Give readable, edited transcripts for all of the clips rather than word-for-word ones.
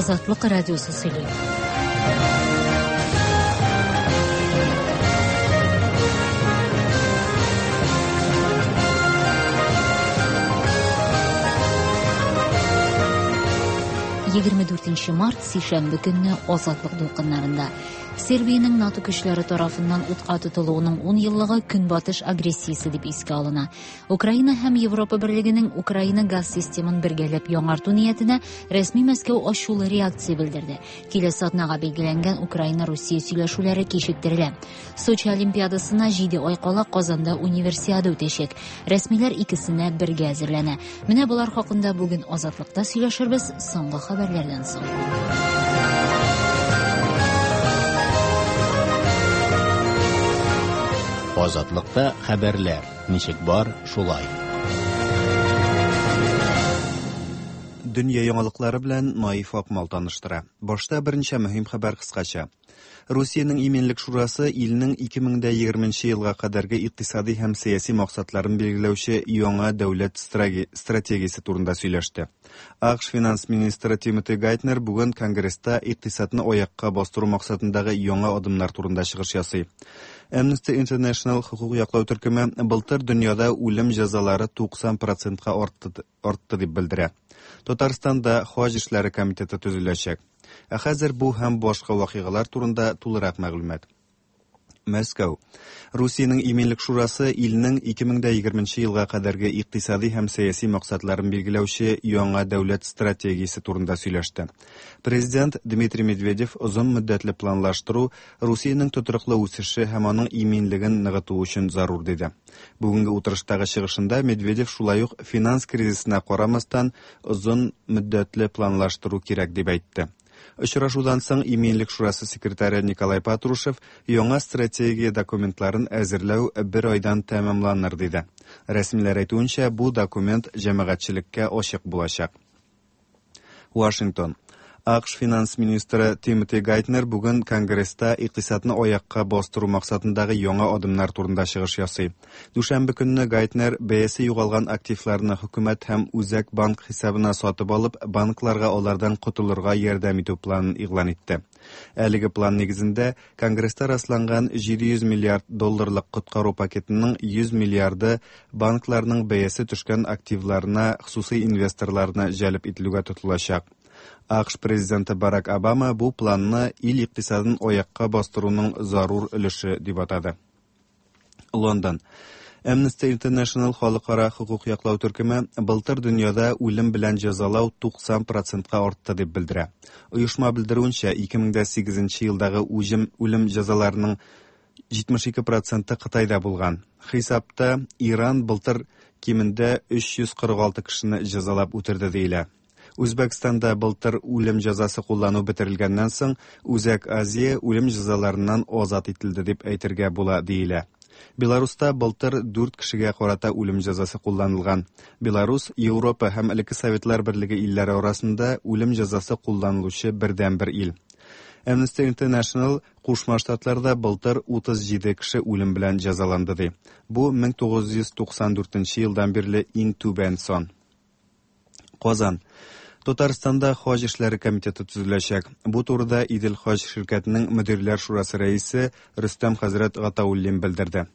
Азатлык радиосы сөйли. 24 март сишәмбе көнне Азатлык дулкыннарында. Сербиянең НАТО көчләре тарафыннан утка тотылуының 10 еллыгы Көнбатыш агрессиясе дип искә алына. Украина һәм Европа Берлегенең Украина газ системын бергәләп яңарту ниятенә рәсми Мәскәү ачулы реакция белдерде. Киләсе атнага билгеләнгән Украина-Русия сөйләшүләре кичектерелә. Сочи Олимпиадасына 7 ай кала Казанда Универсиада үтәчәк. Рәсмиләр икесенә бергә әзерләнә. Менә болар хакында бүген Азатлыкта сөйләшербез соңгы хәбәрләрдән соң. Азатлыкта хәбәрләр. Ничек бар, шулай. Дөнья яңалыклары белән Наиф Акмал таныштыра. Башта берничә мөһим хәбәр кыскача. Русиянең Иминлек шурасы илнең 2020 елга кадәрге икътисади һәм сәяси максатларын билгеләүче яңа дәүләт стратегиясе турында сөйләште. АКШ финанс министры Тимоти Гайтнер бүген Конгресста икътисадны аякка бастыру максатындагы яңа адымнар турында чыгыш ясый. Amnesty International хокук яклау төркеме былтыр дөньяда үлем җәзалары 90 процентка артты, артты дип белдерә. Татарстанда хаҗ эшләре комитеты төзеләчәк. Ә хәзер бу һәм башка вакыйгалар турында тулырак мәгълүмат. Мәскәү. Русиянең Иминлек шурасы илнең 2020 елга кадәрге икътисади һәм сәяси максатларын билгеләүче яңа дәүләт стратегиясе турында сөйләште. Президент Дмитрий Медведев озын мөддәтле планлаштыру Русиянең тотрыклы үсеше һәм аның иминлеген ныгыту өчен зарур диде. Бүгенге утырыштагы чыгышында Медведев шулай ук финанс кризисына карамастан озын мөддәтле планлаштыру кирәк дип әйтте. Очрашудан соң Иминлек шурасы секретаре Николай Патрушев яңа стратегия документларын әзерләү бер айдан тәмамланыр диде. Рәсмиләр әйтүенчә, бу документ җәмәгатьчелеккә ачык булачак. Вашингтон. АКШ финанс министры Тимоти Гайтнер бүген Конгресста икътисадны аякка бастыру максатындагы яңа адымнар турында чыгыш ясый. Дүшәмбе көнне Гайтнер бәясе югалган активларны хөкүмәт һәм Үзәк банк хисабына сатып алып, банкларга алардан котылырга ярдәм итү планын игълан итте. Әлеге план нигезендә Конгресста расланган 700 миллиард долларлык коткару пакетының 100 миллиарды банкларның бәясе төшкән активларына хосусый инвесторларны җәлеп ителүгә тотылачак. АКШ президенты Барак Обама бу планны ил икътисадын аякка бастыруның зарур өлеше дип атады. Лондон. Amnesty International халыкара хокук яклау төркеме былтыр дөньяда үлем белән җәзалау 90 процентка артты дип белдерә. Оешма белдерүенчә, 2008 елдагы үҗем үлем җәзаларының 72 проценты Кытайда булган. Хисапта Иран былтыр кимендә 346 кешене җәзалап үтерде диелә. Үзбәкстанда былтыр үлем җәзасы куллану бетерелгәннән соң, Үзәк Азия үлем җәзаларыннан азат ителде дип әйтергә була диелә. Беларуста былтыр дүрт кешегә карата үлем җәзасы кулланылган. Беларус Европа һәм элекке Советлар Берлеге илләре арасында үлем җәзасы кулланылучы бердәнбер ил. Amnesty International Кушма Штатларда былтыр 37 кеше үлем белән җәзаланды ди. Бу 1994 елдан бирле иң түбән сан. Казан. Татарстанда хаҗ эшләре комитеты төзеләчәк. Бу турыда Идел хаҗ ширкәтенең мөдирләр шурасы рәисе Рөстәм хәзрәт Гатауллин белдерде.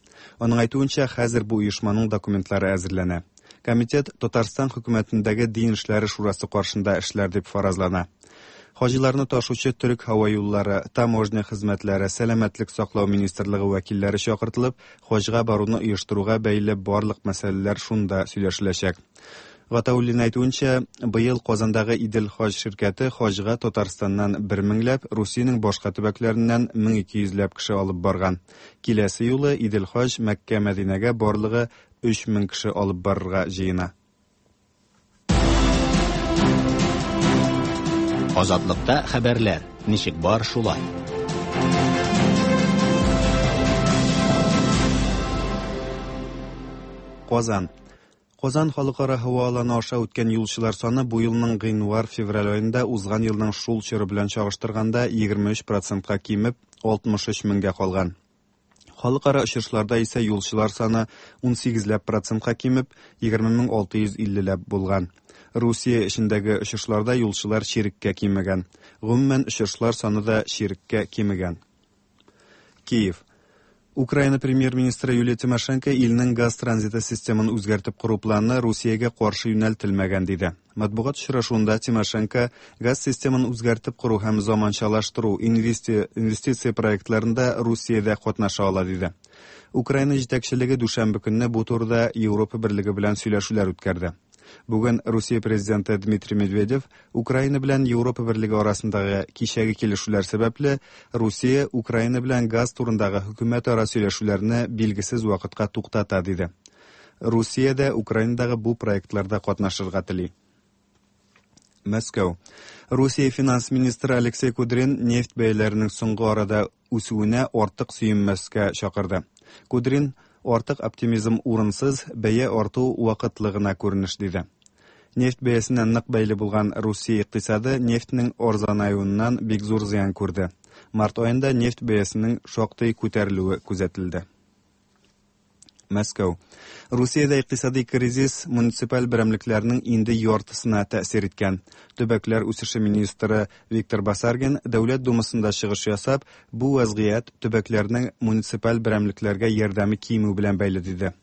Аның әйтүенчә, хәзер бу оешманың документлары әзерләнә. Комитет Татарстан хөкүмәтендәге дин эшләре шурасы каршында эшләр дип фаразлана. Хаҗиларны ташучы төрек һава юллары, таможня хезмәтләре, сәламәтлек саклау министрлыгы вәкилләре чакыртылып, хаҗга баруны оештыруга бәйле барлык мәсьәләләр шунда сөйләшеләчәк. Гатауллин әйтүенчә, быел Казандагы Идел хаҗ ширкәте хаҗга Татарстаннан бер меңләп, Русиянең башка төбәкләреннән 1200 ләп кеше алып барган. Киләсе юлы Идел хаҗ Мәккә-Мәдинәгә барлыгы 3000 кеше алып барырга җыена. Азатлыкта хәбәрләр, ничек бар шулай. Казан. Казан халыкара һава аланы аша үткән юлчылар саны бу елның гыйнвар-февраль аенда узган елның шул чоры белән чагыштырганда 23 процентка кимеп, 63 меңгә калган. Халыкара очышларда исә юлчылар саны 18 ләп процентка кимеп, 20 мең 650 ләп булган. Русия эчендәге очышларда юлчылар чиреккә кимегән. Гомумән, очышлар саны да чиреккә кимегән. Киев. Украина премьер-министры Юлия Тимошенко илнең газ транзиты системын үзгәртеп кору планы Русиягә каршы юнәлтелмәгән, диде. Матбугат очрашуында Тимошенко газ системын үзгәртеп кору һәм заманчалаштыру инвестиция проектларында Русия дә катнаша ала, диде. Украина җитәкчелеге дүшәмбе көнне бу турыда Европа берлеге белән сөйләшүләр үткәрде. Бүген Русия президенты Дмитрий Медведев Украина белән Европа берлеге арасындагы кичәге килешүләр сәбәпле Русия Украина белән газ турындагы хөкүмәтара сөйләшүләрне билгесез вакытка туктата, диде. Русия дә Украинадагы бу проектларда катнашырга тели. Мәскәү. Русия финанс министры Алексей Кудрин нефть бәяләренең соңгы арада үсүенә артык сөенмәскә чакырды. Кудрин артык оптимизм урынсыз, бәя арту вакытлы гына күренеш, диде. Нефть бәясенә нык бәйле булган Русия икътисады нефтьнең арзанаюыннан бик зур зыян күрде. Март аенда нефть бәясенең шактый күтәрелүе күзәтелде. Мәскәү. Русиядә икътисади кризис муниципаль берәмлекләрнең инде яртысына тәэсир иткән. Төбәкләр үсеше министры Виктор Басаргин Дәүләт Думасында чыгыш ясап, бу вәзгыять төбәкләрнең муниципаль берәмлекләргә ярдәме кимү белән бәйле, диде.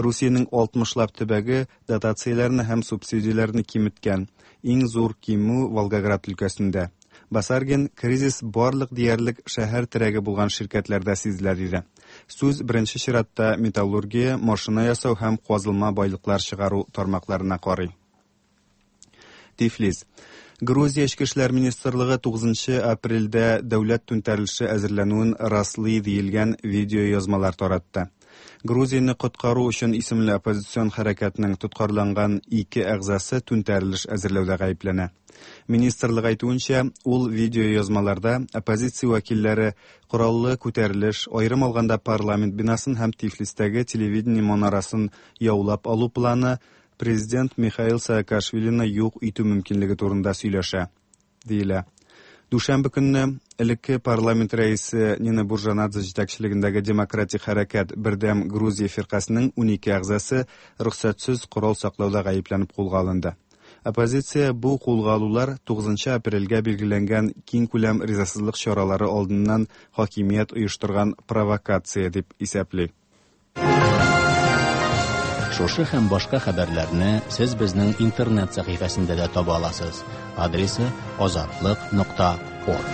Русиянең 60лап төбәге дотацияләрне һәм субсидияләрне киметкән. Иң зур кимү Волгоград өлкәсендә. Басаргин кризис барлык диярлек шәһәр терәге булган ширкәтләрдә сизелә, диде. Сүз беренче чиратта металлургия, машина ясау һәм казылма байлыклар чыгару тармакларына карый. Тифлис. Грузия Эчке эшләр министрлыгы 9 апрельдә дәүләт түнтәрелеше әзерләнүен раслый диелгән видеоязмалар таратты. Грузияне коткару өчен исемле оппозицион хәрәкәтнең тоткарланган ике әгъзасы түнтәрелеш әзерләүдә гаепләнә. Министрлык әйтүенчә, ул видеоязмаларда оппозиция вәкилләре кораллы күтәрелеш, аерым алганда парламент бинасын һәм Тифлистәге телевидение манарасын яулап алу планы президент Михаил Саакашвилины юк итү мөмкинлеге турында сөйләшә, диелә. Дүшәмбе көнне элекке парламент рәисе Нина Буржанадзе җитәкчелегендәге Демократик хәрәкәт Бердәм Грузия фиркасының 12 әгъзасы рөхсәтсез корал саклауда гаепләнеп кулга алынды. Оппозиция бу кулга алулар 9 апрельгә билгеләнгән киңкүләм ризасызлык чаралары алдыннан хакимият оештырган провокация дип исәпли. Шушы һәм башка хәбәрләрне сез безнең интернет сәхифәсендә дә таба аласыз. Адресы azatliq.org.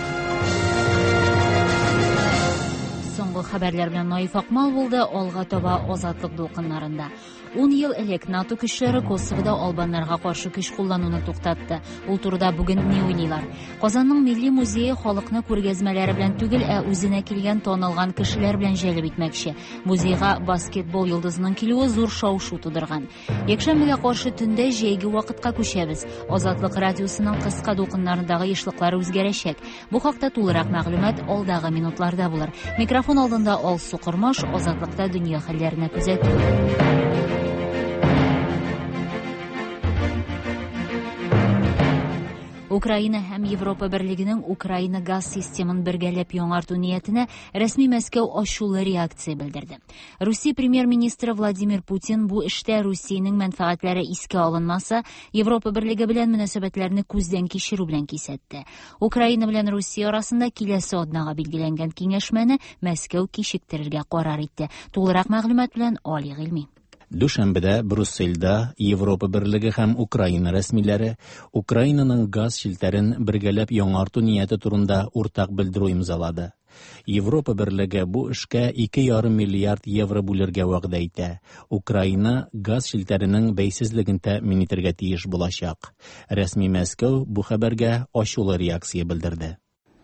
Соңгы хәбәрләр белән Наиф Акмал булды. Алга таба Азатлык дулкыннарында. 10 ел элек НАТО көчләре Косовода албаннарга каршы көч куллануны туктатты. Ул турыда бүген ни уйлыйлар? Казанның милли музее халыкны күргәзмәләре белән түгел, ә үзенә килгән танылган кешеләр белән җәлеп итмәкче. Музейга баскетбол йолдызының килүе зур шау-шу тудырган. Якшәмбегә каршы төндә җәйге вакытка күчәбез. Азатлык радиосының кыска дулкыннарындагы ешлыклары үзгәрәчәк. Бу хакта тулырак мәгълүмат алдагы минутларда булыр. Микрофон алдында Алсу Кормаш, Азатлыкта дөнья хәлләренә күзәтү. Украина һәм Европа берлегенең Украина газ системын бергәләп яңарту ниятенә рәсми Мәскәү ачулы реакция белдерде. Русия премьер-министры Владимир Путин бу эштә Русиянең мәнфәгатьләре искә алынмаса, Европа берлеге белән мөнәсәбәтләрне күздән кичерү белән кисәтте. Украина белән Русия арасында киләсе атнага билгеләнгән киңәшмәне Мәскәү кичектерергә карар итте. Тулырак мәгълүмат белән Али Гыйльми. Дүшәмбедә Брюссельдә Европа берлеге һәм Украина рәсмиләре Украинаның газ челтәрен бергәләп яңарту нияте турында уртак белдерү имзалады. Европа берлеге бу эшкә 2,5 миллиард евро бүлергә вәгъдә итә. Украина газ челтәренең бәйсезлеген тәэмин итәргә тиеш булачак. Рәсми Мәскәү бу хәбәргә ачулы реакция белдерде.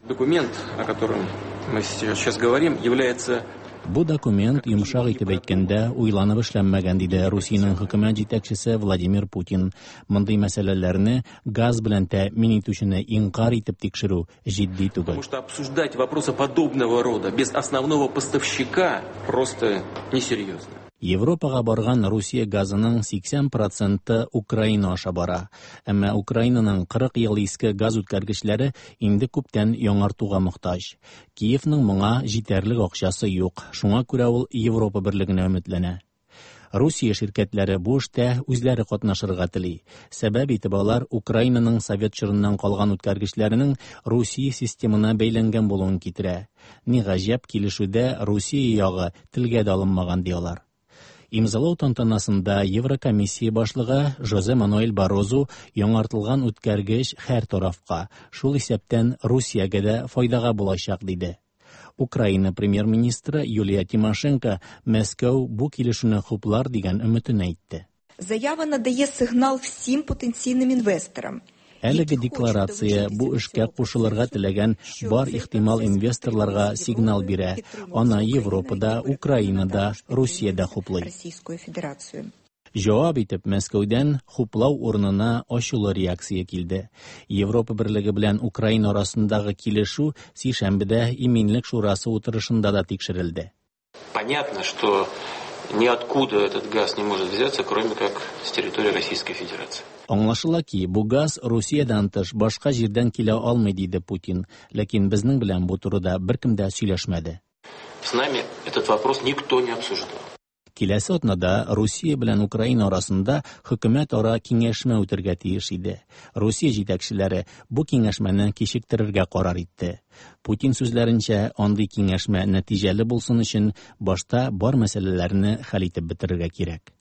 Документ, о котором мы сейчас говорим, является Бу документ, йомшак итеп әйткәндә, уйланып эшләнмәгән, диде Русиянең хөкүмәт җитәкчесе Владимир Путин. Мондый мәсьәләләрне газ белән тәэмин итүчене инкар итеп тикшерү җитди түгел. Потому что обсуждать вопросы подобного рода без основного поставщика просто несерьезно. Европага барган Русия газының 80% Украина аша бара. Әмма Украинаның 40 ел иске газ үткәргечләре инде күптән яңартуга мохтаҗ. Киевның моңа җитәрлек акчасы юк. Шуңа күрә ул Европа берлегенә өметләнә. Русия ширкәтләре бу эштә үзләре катнашырга тели. Сәбәп итеп алар Украинаның совет чорыннан калган үткәргечләренең Русия системына бәйләнгән булуын китерә. Ни гаҗәп, килешүдә Русия ягы телгә дә алынмаган, ди алар. Имзалау тантанасында Еврокомиссия башлыгы Жозе Мануэль Баррозу яңартылган үткәргеч һәр тарафка, шул исәптән Русиягә дә файдага булачак, диде. Украина премьер-министры Юлия Тимошенко Мәскәү бу килешүне хуплар дигән өметен әйтте. Заява надає сигнал всім потенційним інвесторам. Әлеге декларация бу эшкә кушылырга теләгән бар ихтимал инвесторларга сигнал бирә. Аны Европа да, Украина да, Русия дә хуплый. Российскую Федерацию. Җавап итеп Мәскәүдән хуплау урынына ачулы реакция килде. Европа Берлеге белән Украина арасындагы килешү сишәмбедә Иминлек шурасы утырышында да тикшерелде. Понятно, что ниоткуда этот газ не может взяться, кроме как с территории Российской Федерации. Аңлашыла ки, бу газ Русиядән тыш башка җирдән килә алмый, диде Путин. Ләкин безнең белән бу турыда беркем дә сөйләшмәде. С нами этот вопрос никто не обсуждал. Киләсе атнада Русия белән Украина арасында хөкүмәт-ара киңәшмә үтергә тиеш иде. Русия җитәкчеләре бу киңәшмәне кичектерергә карар итте. Путин сүзләренчә, андый киңәшмә нәтиҗәле булсын өчен башта бар мәсьәләләрне хәл итеп бетерергә кирәк.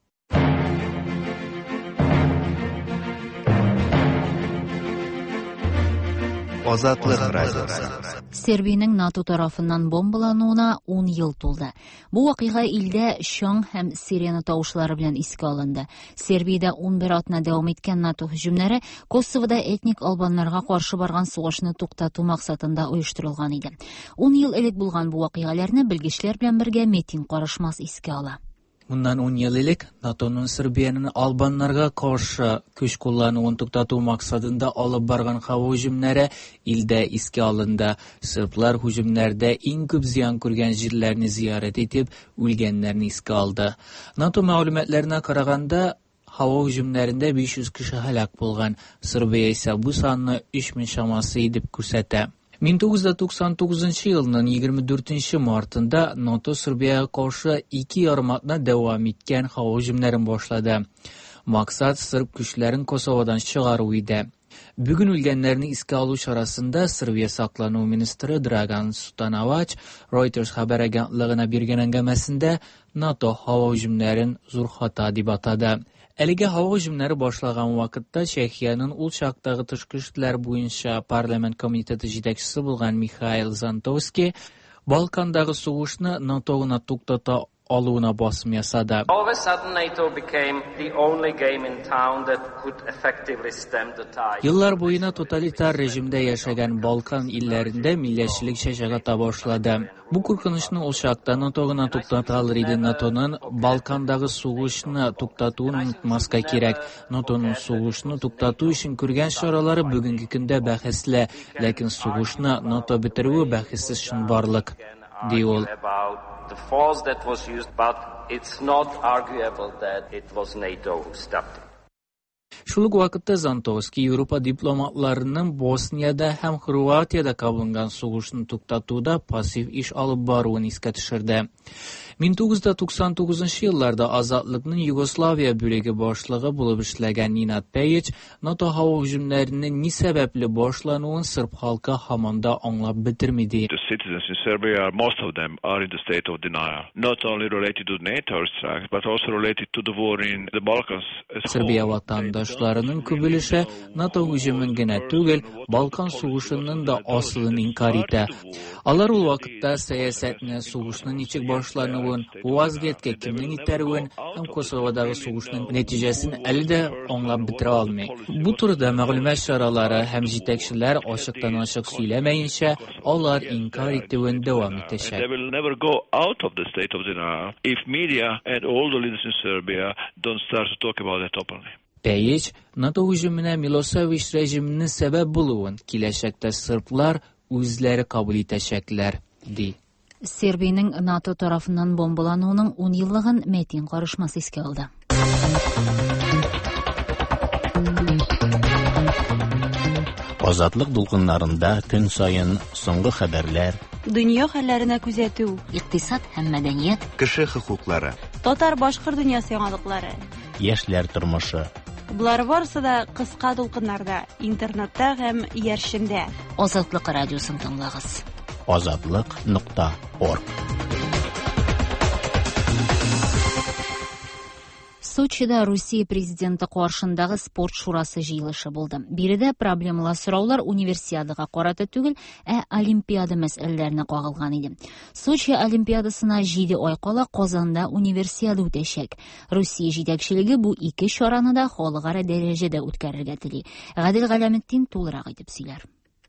Азатлык радиосы. Сербиянең НАТО тарафыннан бомбалануына 10 ел тулды. Бу вакыйга илдә чаң һәм сирена тавышлары белән искә алынды. Сербиядә 11 атна дәвам иткән НАТО һөҗүмнәре Косовода этник албаннарга каршы барган сугышны туктату максатында оештырылган иде. 10 ел элек булган бу вакыйгаларны белгечләр белән бергә Метин Карышмас искә ала. Моннан 10 ел элек НАТОның Сербиянең албаннарга каршы көч куллануын туктату максатында алып барган һава һөҗүмнәре илдә искә алынды. Серблар һөҗүмнәрдә иң күп зыян күргән җирләрне зиярәт итеп, үлгәннәрне искә алды. НАТО мәгълүматларына караганда, һава һөҗүмнәрендә 500 кеше һәлак булган. Сербия исә бу санны 3000 чамасы итеп күрсәтә. 1999 елның 24 мартында НАТО Сербиягә каршы ике ярым атна дәвам иткән һава һөҗүмнәрен башлады. Максат серб көчләрен Косоводан чыгару иде. Бүген үлгәннәрне искә алу чарасында Сербия саклану министры Драган Сутановач Reuters хәбәр агентлыгына биргән әңгәмәсендә НАТО һава һөҗүмнәрен зур хата дип атады. Әлеге һава һөҗүмнәре башлаган вакытта Чехиянең ул чактагы тышкы эшләр буенча парламент комитеты җитәкчесе булган Михаил Зантовский Балкандагы сугышны НАТО гына туктата алуына басым ясады. All of a sudden, NATO became the only game in town that could effectively stem the tide. Еллар буена тоталитар режимдә яшәгән Балкан илләрендә милләтчелек чәчәк ата башлады. Бу куркынычны ул чакта НАТО гына туктата алыр иде. НАТОның Балкандагы сугышны туктатуын онытмаска кирәк. НАТОның сугышны туктату өчен күргән чаралары бүгенге көндә бәхәсле, ләкин сугышны НАТО бетерүе бәхәссез чынбарлык, ди ул. About the force that was used, but it's not arguable that it was NATO who stopped it. Шул ук вакытта Зантовский Европа дипломатларының Босниядә һәм Хорватиядә кабынган сугышны туктатуда пассив эш алып баруын искә төшерде. 1999 елларда Азатлыкның Югославия бүлеге башлыгы булып эшләгән Нинад Пейич НАТО һава һөҗүмнәренең ни сәбәпле башлануын серб халкы һаман да аңлап бетерми ди. The citizens in Serbia, most of them are in the state of denial, not only related to NATO strikes, but also related to the war in the Balkans as a Сербия whole. ватандашларының күп өлеше НАТО һөҗүмен генә түгел, Балкан сугышының да асылын инкар итә. Алар ул вакытта сәясәтне, сугышның ничек башлануын, бу вазгыятькә кемнең итәрүен һәм Косоводагы сугышның нәтиҗәсен әле дә аңлап бетерә алмый. Бу турыда мәгълүмат чаралары һәм җитәкчеләр ачыктан-ачык сөйләмәенчә, алар инкар итүен дәвам итәчәк. They will never go out of the state of denial if media and all the leaders in Serbia don't start to talk about it openly. Пейич НАТО һөҗүменә Милосевич режимының сәбәп булуын киләчәктә серблар үзләре кабул итәчәкләр, ди. Сербиянең НАТО тарафыннан бомбалануының 10 еллыгын Метин Карышмас искә алды. Азатлык дулкыннарында көн саен соңгы хәбәрләр, Дөнья хәлләренә күзәтү, Икътисад һәм мәдәният, Кеше хокуклары. Татар-башкорт дөньясы яңалыклары. Яшьләр тормышы. Болар барысы да кыска дулкыннарда, интернетта һәм иярчендә. Азатлык радиосын тыңлагыз. Азатлык.орг. Сочида Русия президенты каршындагы спорт шурасы җыелышы булды. Биредә проблемалы сораулар универсиадага карата түгел, ә Олимпиада мәсьәләләренә кагылган иде. Сочи Олимпиадасына 7 ай кала Казанда универсиада үтәчәк. Русия җитәкчелеге бу ике чараны да халыкара дәрәҗәдә үткәрергә тели. Гадел Галәметдин тулырак итеп сөйләр.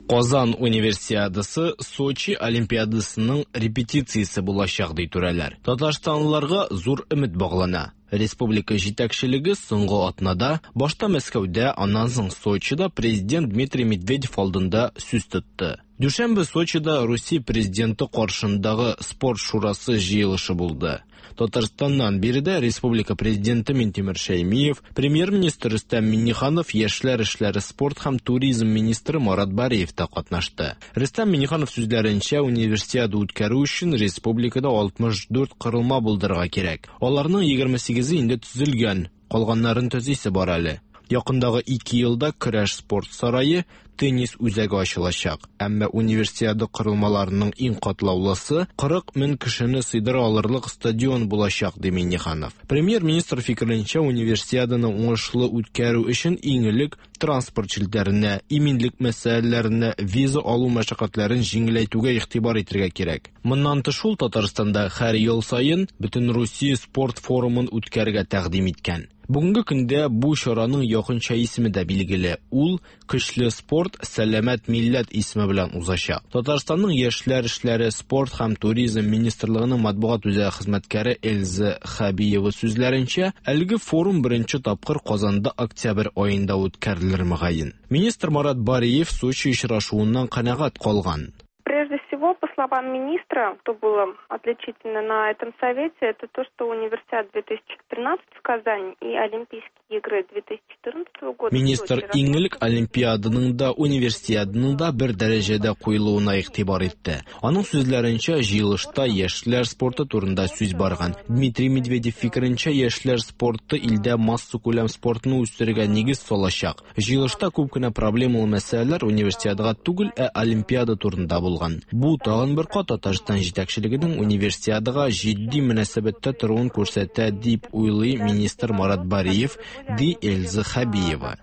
Казан универсиадасы Сочи Олимпиадасының репетициясе булачак, ди түрәләр. Татарстанлыларга зур өмет баглана. Республика җитәкчелеге соңгы атнада башта Мәскәүдә, аннан соң Сочида президент Дмитрий Медведев алдында сүз тотты. Дүшәмбе Сочида Русия президенты каршындагы спорт шурасы җыелышы булды. Татарстаннан биредә республика президенты Минтимер Шәймиев, премьер-министр Рөстәм Миңнеханов, яшьләр эшләре, спорт һәм туризм министры Марат Бариев та катнашты. Рөстәм Миңнеханов сүзләренчә, универсиада үткәрү өчен республикада 64 корылма булдырырга кирәк. Аларның 28-е инде төзелгән, калганнарын төзисе бар әле. Якындагы 2 елда көрәш спорт сарае, теннис үзәге ачылачак. Әмма универсиада корылмаларының иң катлаулысы 40 мең кешене сыйдыра алырлык стадион булачак, ди Миңнеханов. Премьер-министр фикеренчә, универсиаданы уңышлы үткәрү өчен иң элек транспорт челтәренә, иминлек мәсьәләләренә, виза алу мәшәкатьләрен җиңеләйтүгә игътибар итәргә кирәк. Моннан тыш ул Татарстанда һәр ел саен Бөтенрусия спорт форумын үткәрергә тәкъдим иткән. Бүгенге көндә бу чараның якынча исеме дә билгеле. Ул Көчле спорт, сәламәт милләт исеме белән узачак. Татарстанның яшьләр эшләре, спорт һәм туризм министрлыгының матбугат үзәге хезмәткәре Эльза Хәбиева сүзләренчә, әлеге форум беренче тапкыр Казанда октябрь аенда үткәрелер мөгаен. Министр Марат Бариев Сочи очрашуыннан канәгать калган. Прежде всего, по словам министра, что было отличительно на этом совете, это то, что Универсиада 2013 в Казани и Олимпийские игры 2014 года... Министр иң элек Олимпиаданың да, Универсиаданың да бер дәрәҗәдә куелуына игътибар итте. Аның сүзләренчә, җыелышта яшьләр спорты турында сүз барган. Дмитрий Медведев фикеренчә, яшьләр спорты илдә массакүләм спортны үстерергә нигез салачак. Җыелышта күп кенә проблемалы мәсьәләләр Универсиадага түгел, ә Олимпиада турында булган. Бу тагын бер кат Татарстан җитәкчелегенең Универсиадага җитди мөнәсәбәттә торуын күрсәтә, дип уйлый министр Марат Бариев, ди Эльза Хәбиева.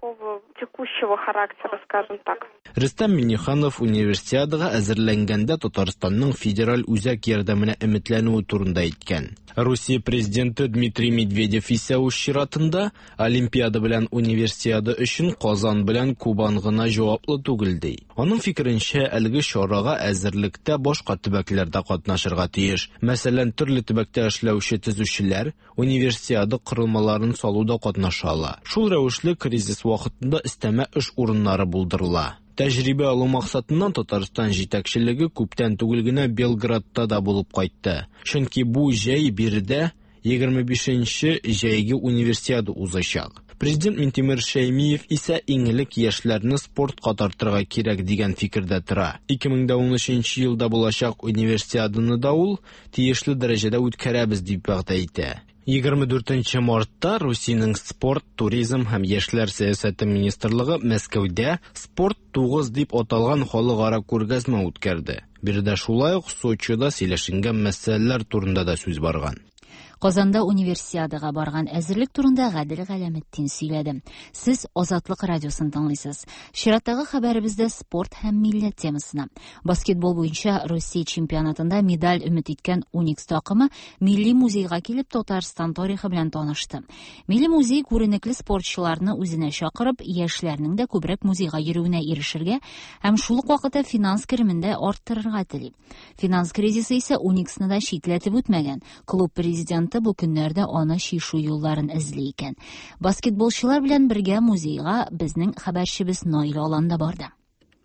Текущего характера, скажем так. Рөстәм Миңнеханов Универсиадага әзерләнгәндә Татарстанның федераль үзәк ярдәменә өметләнүе турында әйткән. Русия президенты Дмитрий Медведев исә үз чиратында Олимпиада белән Универсиада өчен Казан белән Кубан гына җаваплы түгел ди. Аның фикеренчә, әлеге чарага әзерлектә башка төбәкләр дә катнашырга тиеш. Мәсәлән, төрле төбәктә эшләүче төзүчеләр Универсиада корылмаларын салуда катнаша ала. Шул рәвешле кризис вакытында өстәмә эш урыннары булдырыла. Тәҗрибә алу максатыннан Татарстан җитәкчелеге күптән түгел генә Белградта да булып кайтты. Чөнки бу җәй биредә 25 нче җәйге Универсиада узачак. Президент Минтимер Шәймиев исә иң элек яшьләрне спортка тартырга кирәк дигән фикердә тора. 2013 елда булачак Универсиаданы да ул тиешле дәрәҗәдә үткәрәбез дип вәгъдә итә. 24 мартта Русиянең спорт, туризм һәм яшьләр сәясәте министрлыгы Мәскәүдә Спорт 9 дип аталган халыкара күргәзмә үткәрде. Биредә шулай ук Сочида сөйләшенгән мәсьәләләр турында да сүз барган. Казанда Универсиадага барган әзерлек турында Гадел Галәметдин сөйләде. Сез Азатлык радиосын тыңлыйсыз. Чираттагы хәбәребездә спорт һәм милләт темасына. Баскетбол буенча Россия чемпионатында медаль өмет иткән Уникс такымы Милли музейга килеп Татарстан тарихы белән танышты. Милли музей күренекле спортчыларны үзенә чакырып, яшьләрнең дә күбрәк музейга йөрүенә ирешергә һәм шул ук вакытта финанс керемен дә арттырырга тели. Финанс кризисы исә Униксны да читләтеп үтмәгән. Клуб президенты бу көннәрдә аны чишү юлларын эзли икән. Баскетболчылар белән бергә музейга безнең хәбәрчебез Наил Алан да барды.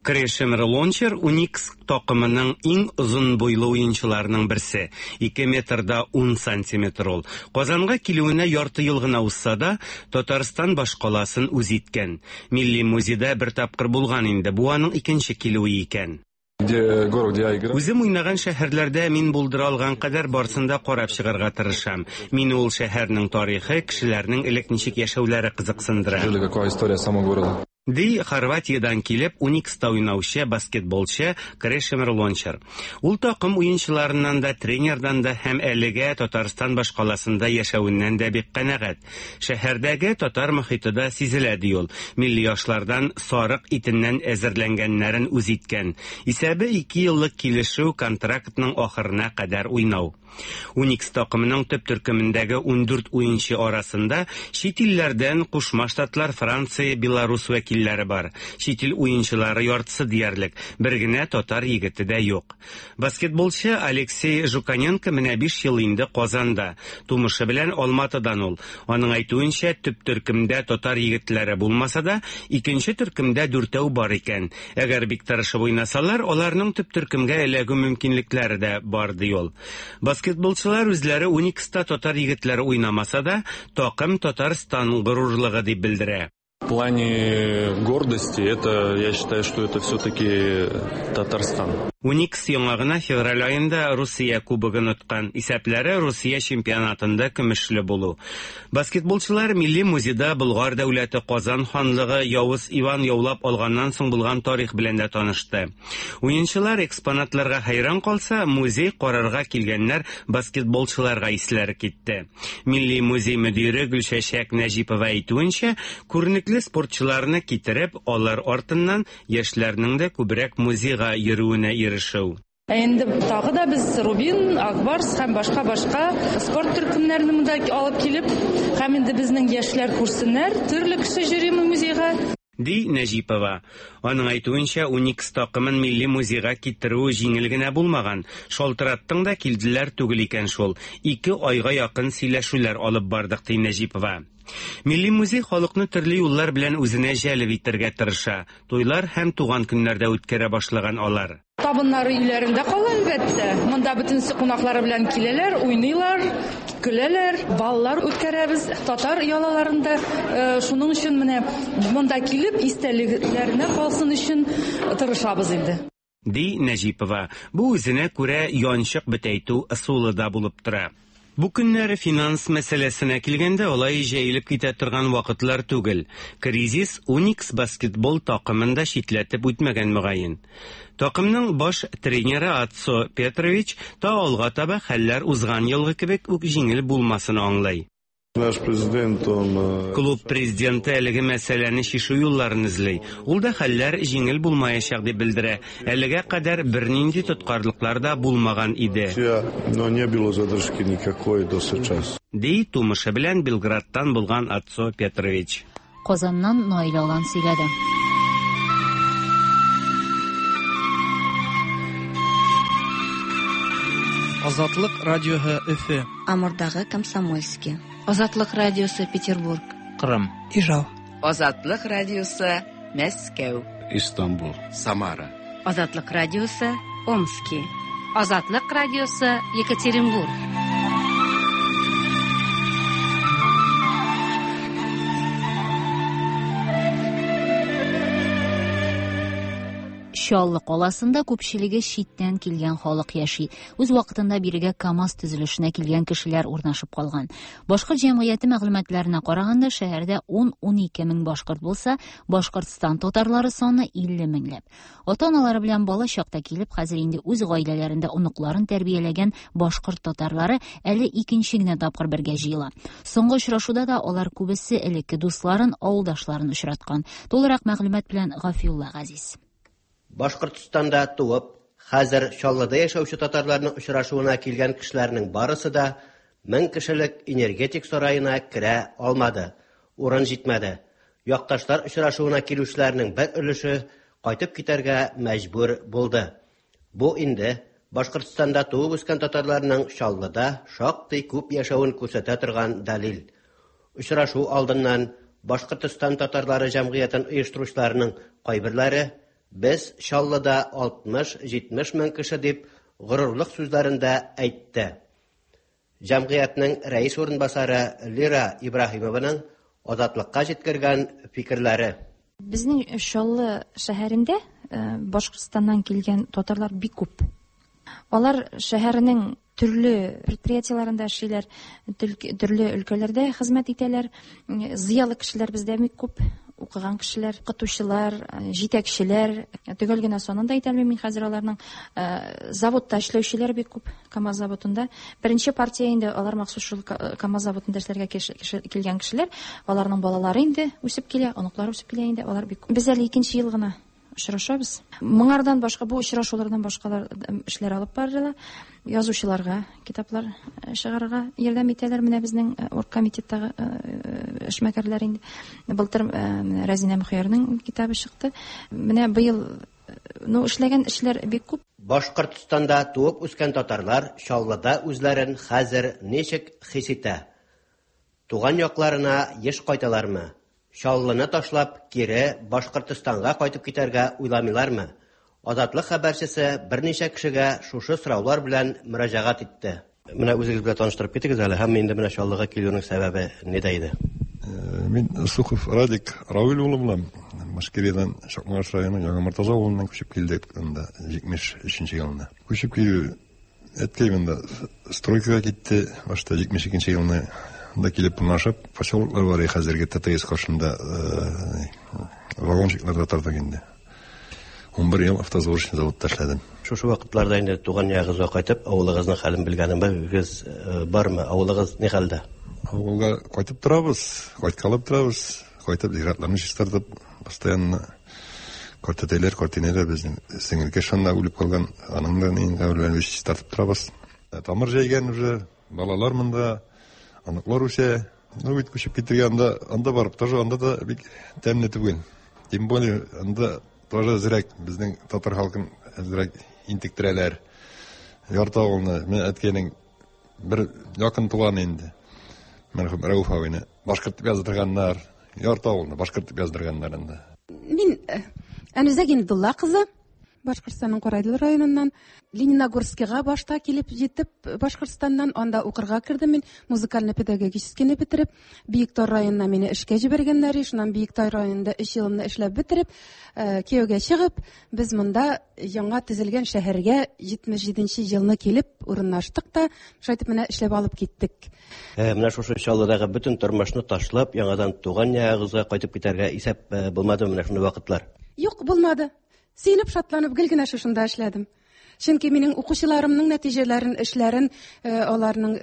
Крешемир Лончер Уникс такымының иң озын буйлы уенчыларының берсе, 2 метр да 10 сантиметр ул. Казанга килүенә ярты ел гына узса да, Татарстан башкаласын үз иткән. Милли музейда бер тапкыр булган инде, бу аның икенче килүе икән. Үзем уйнаган шәһәрләрдә мин булдыра алган кадәр барсын да карап чыгарга тырышам. Мине ул шәһәрнең тарихы, кешеләрнең элек ничек яшәүләре кызыксындыра. Ди Хорватиядән килеп Уникста уйнаучы баскетболчы Крешемир Лончар. Ул такым уенчыларыннан да, тренердан да һәм әлегә Татарстан башкаласында яшәвеннән дә бик канәгать. Шәһәрдәге татар мохите да сизелә, ди ул. Милли ашлардан сарык итеннән әзерләнгәннәрен үз иткән. Исәбе ике еллык килешү контрактның ахырына кадәр уйнау. Уникс такымының төп төркемендәге 14 уенчы арасында чит илләрдән Кушма Штатлар, Франция, Беларус вәкилләре бар. Чит ил уенчылары яртысы диярлек, бер генә татар егете дә юк. Баскетболчы Алексей Жуканенко менә 5 ел инде Казанда. Тумышы белән Алматыдан ул. Аның әйтүенчә, төп төркемдә татар егетләре булмаса да, икенче төркемдә дүртәү бар икән. Әгәр бик тырышып уйнасалар, аларның төп төркемгә эләгү мөмкинлекләре дә бар, ди ул. Баскетболчылар үзләре Уникста татар егетләре уйнамаса да, такым Татарстан горурлыгы дип белдерә. В плане гордости, это, я считаю, что это все-таки Татарстан. Уникс яңа гына февраль аенда Русия кубогын откан. Исәпләре Русия чемпионатында көмешле булу. Баскетболчылар Милли музейда Болгар дәүләте, Казан ханлыгы, Явыз Иван яулап алганнан соң булган тарих белән дә танышты. Уенчылар экспонатларга хәйран калса, музей карарга килгәннәр баскетболчыларга исләре китте. Милли музей мөдире Гөлчәчәк Нәҗипова әйтүенчә, күренекле спортчыларны китереп, алар артыннан яшьләрнең дә күбрәк музейга йөрүенә ирешү. Ә инде тагы да без Рубин, Акбарс һәм башка-башка спорт төркемнәрен монда алып килеп, һәм инде безнең яшьләр күрсеннәр, төрле кеше йөри музейга. Ди Нәҗипова. Аның әйтүенчә, Уникс такымын Милли музейга китерү җиңел генә булмаган. Шалтыраттың да килделәр түгел икән шул. Ике айга якын сөйләшүләр алып бардык, ди Нәҗипова. Милли музей халыкны төрле юллар белән үзенә җәлеп итәргә тырыша. Туйлар һәм туган көннәрдә үткәрә башлаган алар. Табыннары өйләрендә кала, әлбәттә. Монда бөтенесе кунаклары белән киләләр, уйныйлар, көләләр, баллар үткәрәбез татар ялаларында. Шуның өчен менә монда килеп истәлекләренә калсын өчен тырышабыз инде. Ди Нәҗипова. Бу үзенә күрә янчык бөтәйтү ысулы да булып тора. Бу көннәр финанс мәсьәләсенә килгәндә алай җәелеп китә торган вакытлар түгел. Кризис Уникс баскетбол такымын да читләтеп үтмәгән мөгаен. Такымның баш тренеры Ацо Петрович та алга таба хәлләр узган елгы кебек үк җиңел булмасын аңлый. Наш президент, он... Клуб президенты әлеге мәсьәләне чишү юлларын эзли. Ул да хәлләр җиңел булмаячак дип белдерә. Әлегә кадәр бернинди тоткарлыклар да булмаган иде. Но не было задержки никакой до сейчас. Ди тумышы белән Белградтан булган Ацо Петрович. Казаннан Наилә Алан сөйләде. Азатлык радиоһы Өфе. Амурдагы Комсомольский. Азатлык радиосы Петербург. Кырым. Ижау. Азатлык радиосы Мәскәү. Истанбул. Самара. Азатлык радиосы Омски. Азатлык радиосы Екатеринбург. Чаллы каласында күпчелеге читтән килгән халык яши. Үз вакытында бирегә КАМАЗ төзелешенә килгән кешеләр урнашып калган. Башкорт җәмгыяте мәгълүматларына караганда, шәһәрдә 10-12 мең башкорт булса, Башкортстан татарлары саны 50 меңләп. Ата-аналары белән бала чакта килеп, хәзер инде үз гаиләләрендә оныкларын тәрбияләгән башкорт татарлары әле икенче генә тапкыр бергә җыела. Соңгы очрашуда да алар күбесе элекке дусларын, авылдашларын очраткан. Тулырак мәгълүмат белән Гафиулла Газиз. Башкортстанда туып, хәзер Чаллыда яшәүче татарларның очрашуына килгән кешеләрнең барысы да 1000 кешелек энергетик сараена керә алмады. Урын җитмәде. Якташлар очрашуына килүчеләрнең бер өлеше кайтып китәргә мәҗбүр булды. Бу инде Башкортстанда туып үскән татарларның Чаллыда шактый күп яшәвен күрсәтә торган дәлил. Очрашу алдыннан Башкортстан татарлары җәмгыятен оештыручыларының кайберләре без Чаллыда 60-70 мең кеше дип горурлык сүзләрен дә әйтте. Җәмгыятьнең рәис урынбасары Лира Ибраһимованың Азатлыкка җиткергән фикерләре. Безнең Чаллы шәһәрендә Башкортстаннан килгән татарлар бик күп. Алар шәһәрнең төрле предприятиеләрендә эшлиләр, төрле өлкәләрдә хезмәт итәләр. Зыялы кешеләр бездә бик күп, укыган кешеләр, укытучылар, җитәкчеләр, төгәл генә санын да әйтә алмыйм мин хәзер аларның. Заводта эшләүчеләр бик күп, КАМАЗ заводында. Беренче партия инде алар махсус шул КАМАЗ заводында эшләргә килгән кешеләр, аларның балалары инде үсеп килә, оныклары үсеп килә инде, алар бик күп. Без әле икенче ел гына очрашабыз. Моңардан башка, бу очрашулардан башкалар эшләр алып барыла. Язучыларга китаплар чыгарырга ярдәм итәләр. Менә безнең оргкомитеттагы эшмәкәрләр инде. Былтыр Рәзинә Мөхиярның китабы чыкты. Менә быел, ну, эшләгән эшләр бик күп. Башкортстанда туып үскән татарлар Чаллыда үзләрен хәзер ничек хис итә? Туган якларына еш кайталармы? Чаллыны ташлап, кире Башкортстанга кайтып китәргә уйламыйлармы? Азатлык хәбәрчесе берничә кешегә шушы сораулар белән мөрәҗәгать итте. Менә үзегез белән таныштырып китегез әле һәм инде менә Чаллыга килүнең сәбәбе нидә иде? Мин Сухов Радик Равил улы булам. Башкириядән Чакмагыш районы Яңа Мортаза авылыннан күчеп килдек анда 73 елында. Күчеп килү Әткәй монда стройкага китте, башта 72 елны да килеп урнашып, поселоклар бар хәзерге ТТС каршында вагончикларда тордык инде. 11 ел автосборочный заводта эшләдем. Шушы вакытларда инде туган ягыгызга кайтып, авылыгызның хәлен белгәнегез бармы? Авылыгыз ни хәлдә? Авылга кайтып торабыз, кайткалап торабыз. Кайтып зиратларны чистартып, постоянно картәтәйләр, картинәләр безнең сеңелкәш шунда үлеп калган, аның да нин каберләрен без чистартып торабыз. Тамыр җәйгән уже, балалар монда, оныклар үсә. Ну бит күчеп китергә анда, анда барып тоже анда да бик тәмле түгел. Тем более анда тоже әзрәк безнең татар халкын әзрәк интектерәләр. Ярты авылны, менә әткәйнең Бер якын туган инде. Мәрхүм Рәүф абыйны башкорт дип яздырганнар. Ярты авылны башкорт дип яздырганнар инде. Мин Әнүзә Гиндулла кызы, Башкортстанның Карайдыл районыннан. Лениногорскига башта килеп җитеп, Башкортстаннан анда укырга кердем мин, музыкально-педагогическийны бетереп, Биектау районына мине эшкә җибәргәннәр, шуннан Биектау районында өч елымны эшләп бетереп, кияүгә чыгып, Без монда яңа төзелгән шәһәргә 77 нче елны килеп урынлаштык та, шулай итеп менә эшләп алып киттек. Менә шушы Чаллыдагы бөтен тормышны ташлап, яңадан туган ягыгызга кайтып китәргә исәп булмадымы менә шундый вакытлар? Юк, булмады. Сөенеп, шатланып гел генә шушында эшләдем. Чөнки минем укучыларымның нәтиҗәләрен, эшләрен, аларның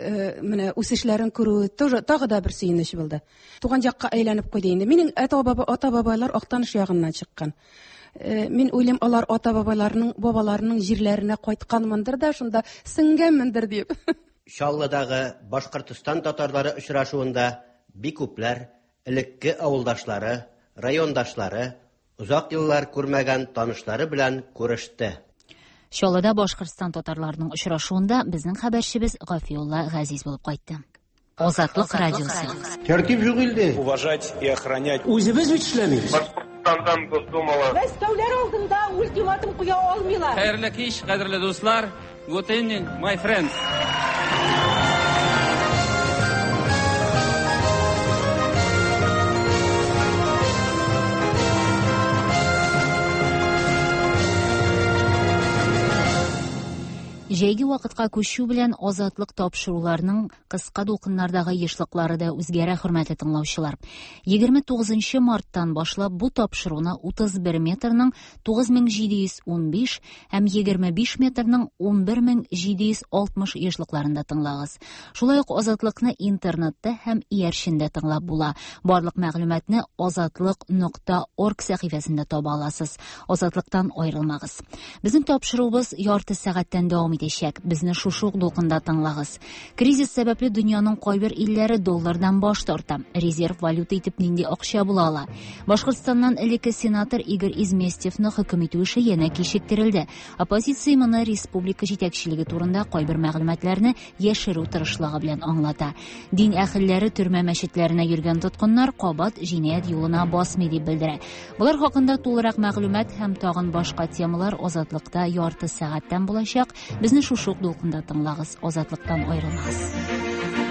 менә үсешләрен күрү тоже тагы да бер сөенеч булды. Туган якка әйләнеп куйды инде. Минем ата-бабайлар Актаныш ягыннан чыккан. Мин уйлыйм, алар ата-бабаларының, бабаларының җирләренә кайтканмындыр да, шунда сеңгәнмендер дип. Чаллыдагы Башкортстан татарлары очрашуында бик күпләр элекке авылдашлары, райондашлары, озак еллар күрмәгән танышлары белән күреште. Чаллыда Башкортстан татарларының очрашуында безнең хәбәрчебез Гафиулла Газиз булып кайтты. Азатлык радиосы. Тәртип юк илдә. Уважать и охранять. Үзебез бит эшләмибез. Башкортстандан Госдумалы. Мәскәүләр алдында ультиматум куя алмыйлар. Хәерле кич, кадерле дуслар. Good evening, my friends. Җәйге вакытка күчү белән Азатлык тапшыруларының кыска дулкыннардагы ешлыклары да үзгәрә, хөрмәтле тыңлаучылар. 29 марттан башлап бу тапшыруны 31 метрның 9715 һәм 25 метрның 11760 ешлыкларында тыңлагыз. Шулай ук Азатлыкны интернетта һәм иярчендә тыңлап була. Барлык мәгълүматны азатлык.орг сәхифәсендә таба аласыз. Азатлыктан аерылмагыз. Безнең тапшыруыбыз ярты сәгатьтән дәвам итәчәк. Безне шушы ук дулкында тыңлагыз. Кризис сәбәпле дөньяның кайбер илләре доллардан баш тарта. Резерв валюта итеп нинди акча була ала? Башкортстаннан элекке сенатор Игорь Изместьевны хөкем итү эше янә кичектерелде. Оппозиция моны республика җитәкчелеге турында кайбер мәгълүматларны яшерү тырышлыгы белән аңлата. Дин әһелләре төрмә мәчетләренә йөргән тоткыннар кабат җинаять юлына басмый дип белдерә. Болар хакында тулырак мәгълүмат һәм тагын башка темалар Азатлыкта ярты сәгатьтән булачак. Безне шушы ук дулкында тыңлагыз, Азатлыктан аерылмагыз.